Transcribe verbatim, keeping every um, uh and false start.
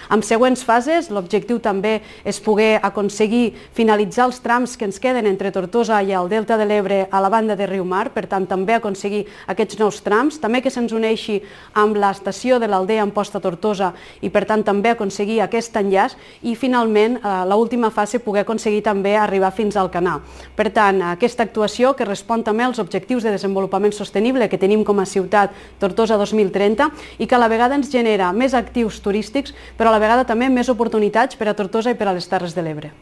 Amb següents fases, l'objectiu també és poder aconseguir finalitzar els trams que ens queden entre Tortosa i el Delta de l'Ebre a la banda de Riumar, per tant també aconseguir aquests nous trams, també que se'ns uneixi amb l'estació de l'Aldea Amposta Tortosa i per tant també aconseguir aquest enllaç i finalment l'última fase poder aconseguir també arribar fins al Canà. Per tant, aquesta actuació que respon també als objectius de desenvolupament sostenible que tenim com a ciutat Tortosa dos mil trenta i que a la vegada ens genera més actius turístics però a la vegada també més oportunitats per a Tortosa i per a les Terres de l'Ebre.